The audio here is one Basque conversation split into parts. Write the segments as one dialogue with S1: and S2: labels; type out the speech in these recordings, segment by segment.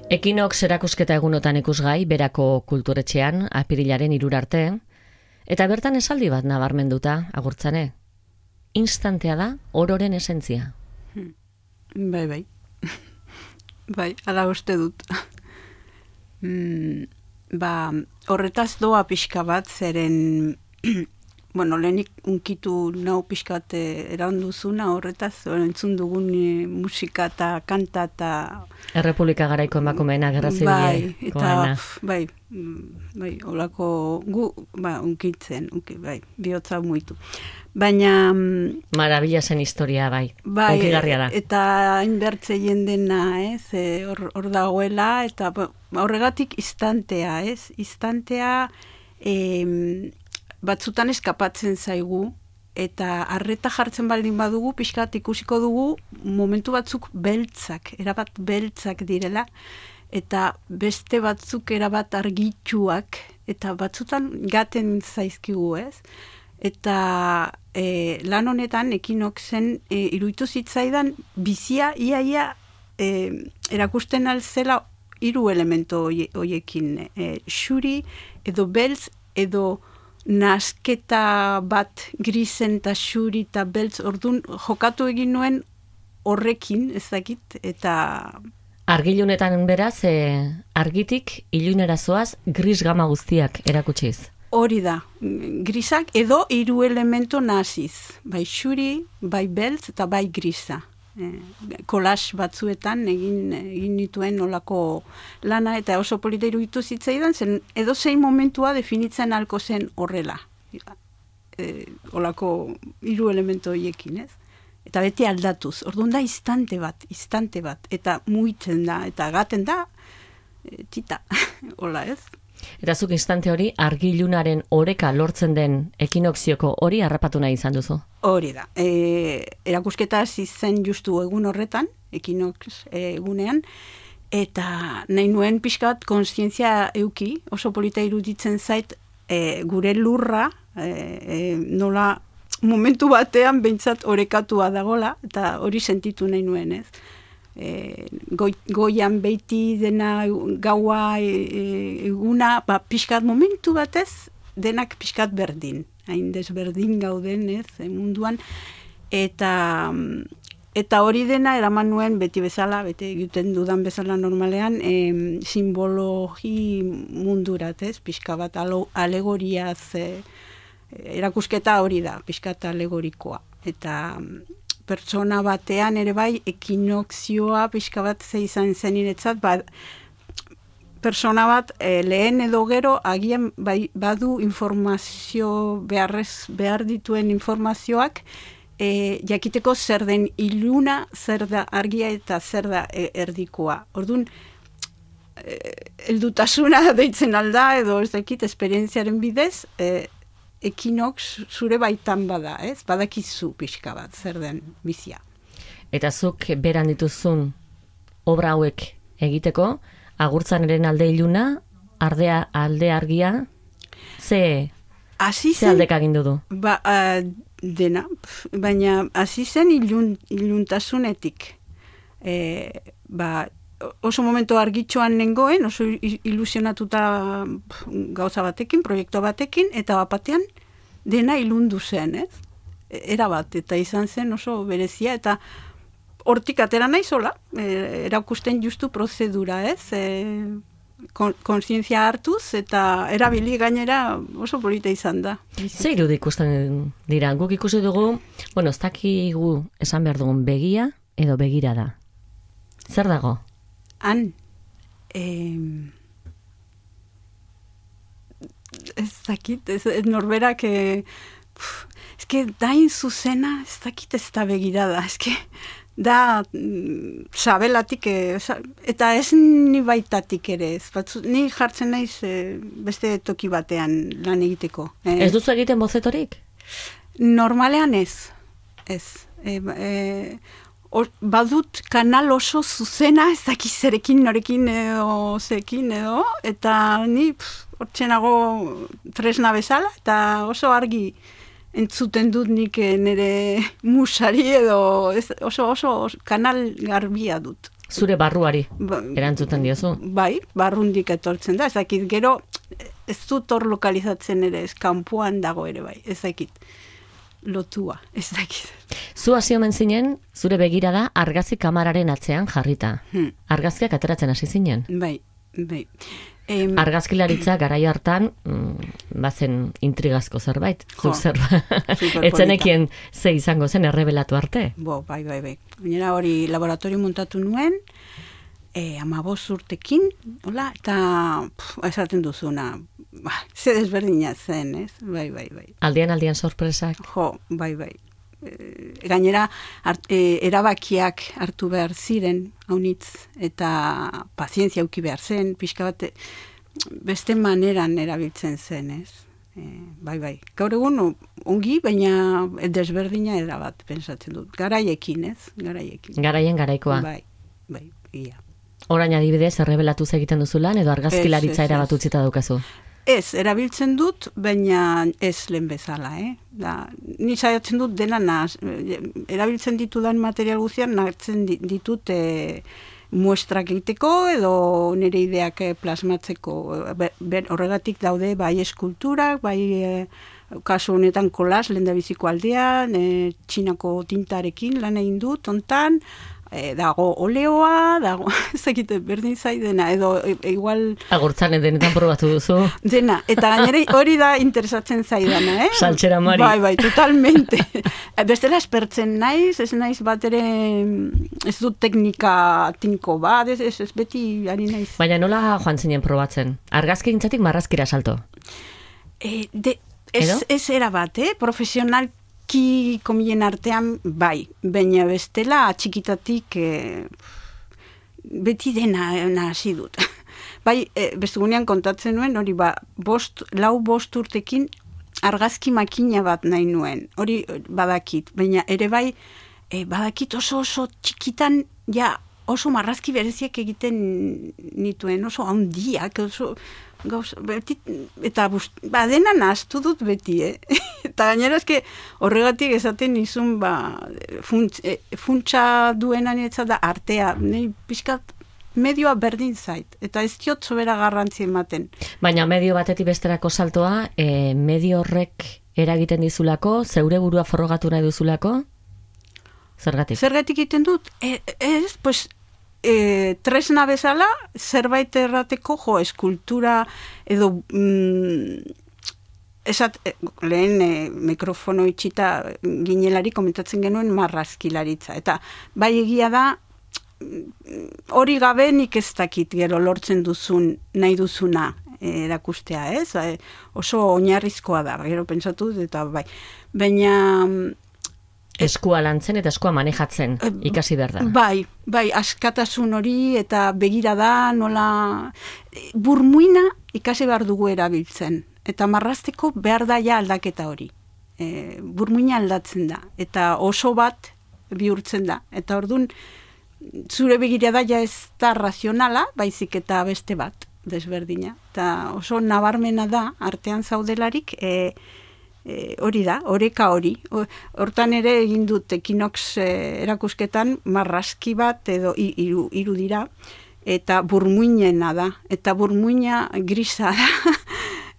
S1: Ekinox erakusketa egunotan ikusgai, Berako kulturetxean, apirilaren 3 arte, eta bertan esaldi bat nabarmenduta, agurtzane. Instantea da, ororen esentzia.
S2: Bai. Bai, ala uste dut. Horretaz doa pixka bat, zeren, lehenik unkitu nau pixka bat eranduzuna, horretaz, entzun dugun musika eta kanta eta...
S1: Errepublika garaiko emakumeena, gerra zibilekoena.
S2: Bai, holako unkitzen, bihotza muitu. Baina...
S1: Marabila zen historia, bai. Onkigarria da.
S2: Eta hainbertze jendena, hor dagoela, eta horregatik istantea, Istantea batzutan eskapatzen zaigu, eta arreta jartzen baldin badugu, pixkat ikusiko dugu, momentu batzuk beltzak, erabat beltzak direla, eta beste batzuk erabat argitsuak, eta batzutan gaten zaizkigu, Eta lan honetan Ekinoxen iruditu zitzaidan bizia iaia erakusten alzela 3 elemento hoiekin. Xuri edo beltz edo nasketa bat grisen eta xuri eta beltz ordun jokatu egin nuen horrekin, ezakit, eta...
S1: Argilunetan beraz, argitik ilunera zoaz gris gama guztiak erakutsiz.
S2: Hori da, grisak edo 3 elemento naziz. Bai xuri, bai beltz eta bai grisa. Kolas batzuetan egin nituen olako lana eta oso polita iruditu zitzaidan, zen edo zein momentua definitzen halko zen horrela. Olako 3 elemento horiekin, Eta beti aldatuz. Orduan da instante bat. Eta muitzen da, eta gaten da, tita, hola
S1: Eta zuk instante hori argilunaren oreka lortzen den ekinoxioko hori harrapatu nahi izan duzu?
S2: Hori da. Erakusketa hasi zen justu egun horretan, Ekinox egunean, eta nahi nuen pixka bat kontzientzia euki, oso polita iruditzen zait gure lurra, nola momentu batean behintzat orekatua dagola, eta hori sentitu nahi nuen, goian beiti dena gaua eguna, pixkat momentu batez, denak pixkat berdin. Hain desberdin gauden, munduan. Eta hori dena eraman nuen beti bezala, beti egiten dudan bezala normalean, simbologi mundurat, pixka bat alegoriaz, erakusketa hori da, pixkat alegorikoa. Eta... pertsona batean ere bai ekinoxioa pixka bat izan zen iretzat, pertsona bat lehen edo gero agian badu informazio behar dituen informazioak jakiteko zer den iluna, zer da argia eta zer da erdikoa. Orduan, heldutasuna deitzen alda edo ez dakit esperientziaren bidez, Ekinox zure baitan bada, badakizu pixka bat, zer den bizia.
S1: Eta zuk beran dituzun obra hauek egiteko, agurtzaneren alde iluna, alde argia, ze aldek agindu du?
S2: Dena, baina hasi zen iluntasunetik. Oso momento argitxoan nengoen, oso ilusionatuta gauza batekin, proiektu batekin, eta batean dena ilundu zen, Erabat, eta izan zen oso berezia, eta hortik atera nahi zola, erakusten justu prozedura, kontzientzia hartuz, eta erabili gainera oso polita izan da.
S1: Zer irudi ikusten dira, guk ikusi dugu, ez dakigu esan behar dugun begia edo begira da. Zer dago?
S2: Han, ez dakit, norberak, dain zuzena, ez dakit ez da begirada, da sabelatik, eta ez ni baitatik ere, ni jartzen naiz beste toki batean lan egiteko.
S1: Ez duzu egiten bozetorik?
S2: Normalean ez. Badut kanal oso zuzena, ez dakiz zerekin, norekin edo zekin edo, eta ni hortzenago tresna bezala, eta oso argi entzuten dut nik nire musari edo oso kanal garbia dut.
S1: Zure barruari erantzuten diozu.
S2: Bai, barrundik etortzen da, ez dakit, gero ez dut hor lokalizatzen ere, ez kanpoan dago ere bai, ez dakit, lotua, ez dakit.
S1: Zu hasi omen zinen, zure begirada argazki kamararen atzean jarrita. Argazkiak ateratzen hasi zinen.
S2: Bai.
S1: Argazkilaritza garai hartan, bazen intrigazko zerbait, zuk zerbait. Etzenekien ze izango zen errebelatu arte.
S2: Bai. Gainera hori laboratorio montatu nuen, 15 urtekin, hola, eta esaten duzuna, ze desberdina zen, ez? Bai.
S1: Aldian sorpresak.
S2: Bai. Gainera, erabakiak hartu behar ziren, haunitz, eta pazientzia auki behar zen, pixka bat, beste maneran erabiltzen zen, ez? Bai. Gaur egun, ongi, baina desberdina erabat, pensatzen dut. Garaiekin, ez?
S1: Garaien garaikoa.
S2: Bai, ia.
S1: Orain adibidez, errebelatu egiten duzu lan, edo argazkilaritza erabat utzita daukazu?
S2: Ez, erabiltzen dut, baina ez lehen bezala, ni saiatzen dut dena erabiltzen ditudan material guztian, nartzen ditut muestrak egiteko, edo nire ideak plasmatzeko. Horregatik daude, bai eskulturak, bai kasu honetan kolas, lehendabiziko aldean, txinako tintarekin lan egin dut, ontan, dago oleoa, dago, ezakite, berdin zaidena, edo igual...
S1: Agurtzan denetan probatu duzu.
S2: Dena, eta gainera hori da interesatzen zaidana,
S1: Saltxera mari.
S2: Bai, totalmente. Bestela espertzen naiz, ez naiz bat ere, ez dut teknika tinko bat, ez beti ari naiz.
S1: Baina nola joan zinen probatzen? Argazki gintzatik marrazkira salto?
S2: Ez era bat, profesional komilen artean, bai, baina bestela txikitatik beti dena hasi dut. Bai, bestugunean kontatzen nuen, hori lau bost urtekin argazki makina bat nahi nuen, hori badakit, baina ere bai, badakit oso txikitan, ja, oso marrazki bereziak egiten nituen, oso handiak, oso... eta dena nahaztu dut beti, eta gainera eske horregatik esaten nizun funtsa duena niretzat da artea, pixkat medioa berdin zait, eta ez diot sobera garrantzi ematen.
S1: Baina medio batetik besterako saltoa, medio horrek eragiten dizulako, zeure burua forrogatu nahi duzulako? Zergatik? Zergatik
S2: egiten dut? Pues tresna bezala, zerbait errateko, eskultura, edo lehen mikrofono itxita ginelari komentatzen genuen marrazkilaritza. Eta bai egia da, hori gabe nik ez dakit gero lortzen duzun, nahi duzuna erakustea, ez? Oso oinarrizkoa da, gero pentsatu, eta bai. Baina...
S1: Eskua lantzen eta eskua manejatzen ikasi behar da.
S2: Bai, askatasun hori eta begira da, nola... Burmuina ikasi behar dugu erabiltzen. Eta marrazteko behar da ja aldaketa hori. Burmuina aldatzen da. Eta oso bat bihurtzen da. Eta orduan, zure begira da ja ez da razionala, baizik eta beste bat, desberdina. Eta oso nabarmena da, artean zaudelarik, hori da, oreka hori. Hortan ere egin dut Equinox erakusketan marrazki bat edo hiru dira, eta burmuinena da. Eta burmuina grisa da,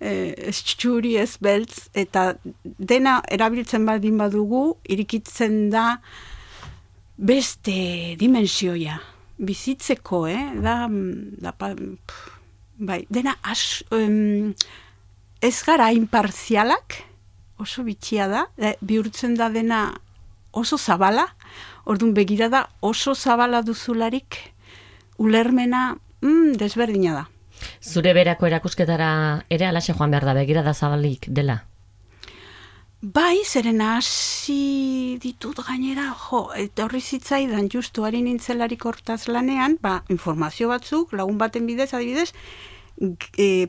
S2: ez txuri, ez beltz, eta dena erabiltzen baldin badugu, irikitzen da beste dimensioia. Bizitzeko, bai, dena ez gara imparzialak, oso bitxia da, bihurtzen da dena oso zabala, orduan begira da oso zabala duzularik, ulermena desberdina da.
S1: Zure berako erakusketara ere alaxe joan behar da, begira da zabalik dela?
S2: Bai, zeren hasi ditut gainera, eta horri zitzaidan justu ari nintzelarik hortaz lanean, informazio batzuk, lagun baten bidez, adibidez,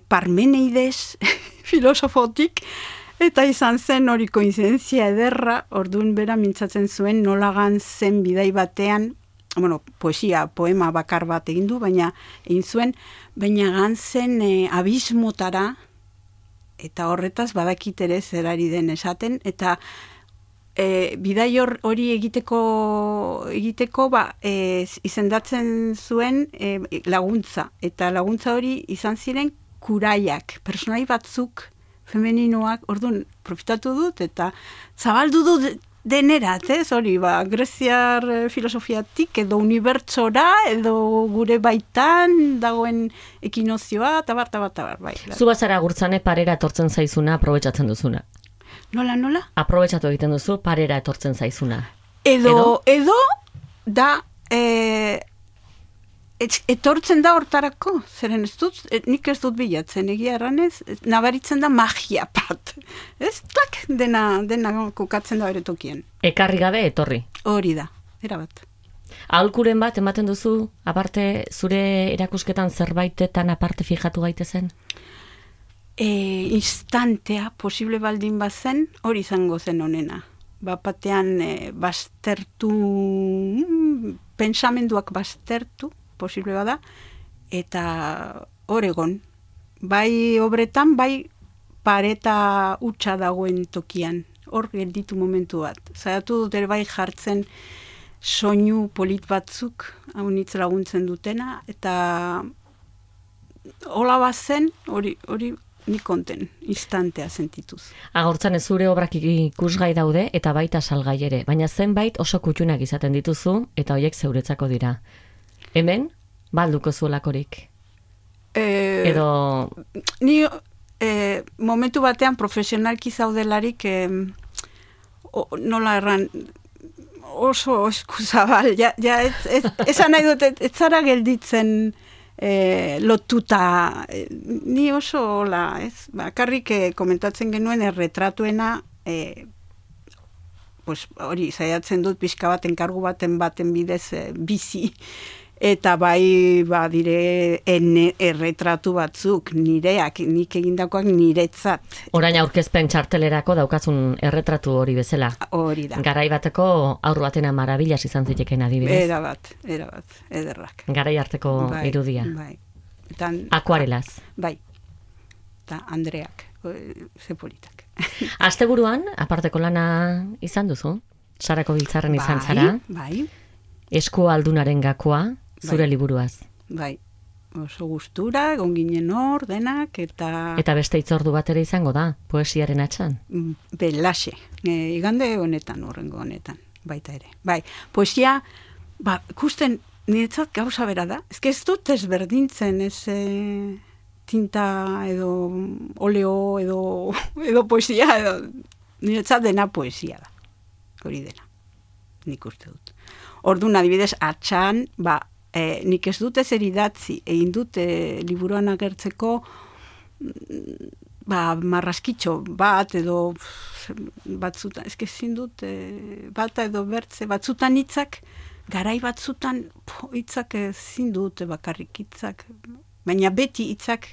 S2: Parmeneides filosofotik, eta izan zen hori koinzidentzia ederra, orduan bera mintzatzen zuen nola zen bidai batean, poesia, poema bakar bat egin du, baina egin zuen, baina gantzen abismotara, eta horretaz badakit ere zerari den esaten, eta bidai hori egiteko izendatzen zuen laguntza. Eta laguntza hori izan ziren kuraiak, personai batzuk femeninoak, orduan profitatu dut eta zabaldu dut denerat, hori, greziar filosofiatik edo unibertsora edo gure baitan dagoen ekinozioa, tabar, bai.
S1: Zu bazara Agurtzane parera etortzen zaizuna, aprobetxatzen duzuna.
S2: Nola?
S1: Aprobetxatu egiten duzu parera etortzen zaizuna.
S2: Edo da etortzen da hortarako, zeren ez dut, nik ez dut bilatzen, egia erranez, nabaritzen da magia bat. Ez tak dena kokatzen da bere tokien.
S1: Ekarri gabe etorri.
S2: Hori da, erabat.
S1: Aholkuren bat ematen duzu, aparte zure erakusketan zerbaitetan aparte fijatu gaitezen?
S2: Instantea, posible baldin bazen, hori izango zen honena. Bapatean baztertu, pensamenduak baztertu, posible bada, eta Oregon, bai obretan, bai pareta utxa dagoen tokian, hor gelditu momentu bat. Zaiatu dut ere bai jartzen soinu polit batzuk, haunitz laguntzen dutena, eta hola bazen, hori nik konten, instantea sentituz.
S1: Agurtzane zure obrak ikusgai daude eta baita salgai ere, baina zenbait oso kutxunak izaten dituzu eta hoiek zeuretzako dira. Hemen, balduko zuelakorik? Edo...
S2: Ni momentu batean profesionalki zaudelarik nola erran oso eskuzabal, esan nahi dut, ez zara gelditzen lotuta, ni oso hola, ez? Bakarrik komentatzen genuen erretratuena, hori, zaiatzen dut pixka baten kargu baten bidez bizi, eta bai dire erretratu batzuk, nireak, nik egindakoak niretzat.
S1: Orain aurkezpen txartelerako daukazun erretratu hori bezala.
S2: Hori da.
S1: Garai bateko aurru batena marabillas izan ziteken adibidez.
S2: Erabat, ederrak.
S1: Garai arteko irudia.
S2: Bai.
S1: Akuarelaz.
S2: Bai. Eta Andreak, ze politak.
S1: Asteburuan, aparteko lana izan duzu? Sarako Biltzarren izan zara?
S2: Bai.
S1: Esku aldunaren gakoa, zure liburuaz.
S2: Bai. Oso gustura, egon ginen hor, denak, eta...
S1: Eta beste itzordu bat ere izango da, poesiaren atxan?
S2: Belaxe. Igande honetan, horrengo honetan, baita ere. Bai, poesia, ikusten, niretzat gauza bera da. Ez dut ezberdintzen, ez tinta edo oleo edo poesia, niretzat dena poesia da. Hori dena, nik uste dut. Orduan, adibidez, atxan, nik ez dut ezer idatzi, egin dut liburuan agertzeko marraskitxo bat edo batzutan, ezin dut bata edo bertze, batzutan hitzak, garai batzutan hitzak ezin dut bakarrik hitzak, baina beti hitzak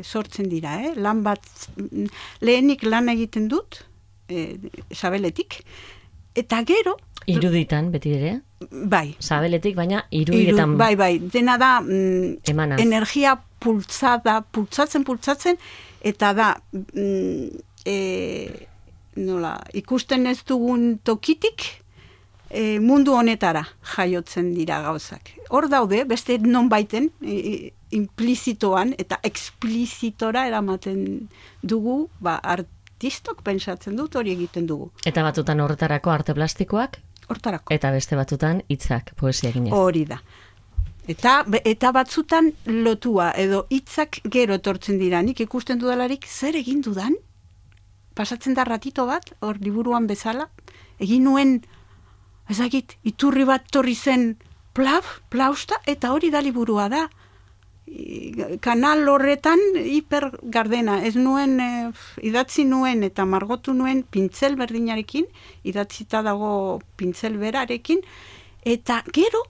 S2: sortzen dira, lan bat, lehenik lan egiten dut, sabeletik, eta gero,
S1: iruditan, beti ere?
S2: Bai.
S1: Sabeletik, baina irudietan...
S2: Bai. Dena da
S1: energia
S2: pultzatzen, eta da ikusten ez dugun tokitik mundu honetara jaiotzen dira gauzak. Hor daude, beste non baiten, implizitoan eta eksplizitora eramaten dugu, artistok pentsatzen dut hori egiten dugu.
S1: Eta batzutan horretarako arte plastikoak?
S2: Hortarako.
S1: Eta beste batzutan hitzak, poesia ginez.
S2: Hori da. Eta batzutan lotua, edo hitzak gero etortzen dira. Nik ikusten dudalarik zer egin dudan, pasatzen da ratito bat, hor liburuan bezala, egin nuen, ezagit, iturri bat torri zen plausta, eta hori da liburua da. Kanal horretan hipergardena, ez nuen, idatzi nuen eta margotu nuen pintzel berdinarekin, idatzita dago pintzel berarekin, eta gero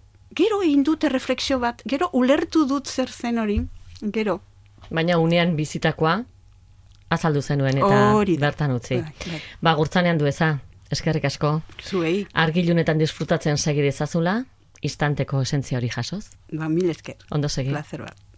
S2: egin dute refleksio bat, gero ulertu dut zer zen hori, gero.
S1: Baina unean bizitakoa, azaldu zenuen eta bertan utzi. Agurtzanean dueza, eskerrik asko.
S2: Zuei.
S1: Argilunetan disfrutatzen segi dezazula, istanteko esentzia hori jasoz.
S2: Mil esker.
S1: Ondo segi.
S2: Placer bat.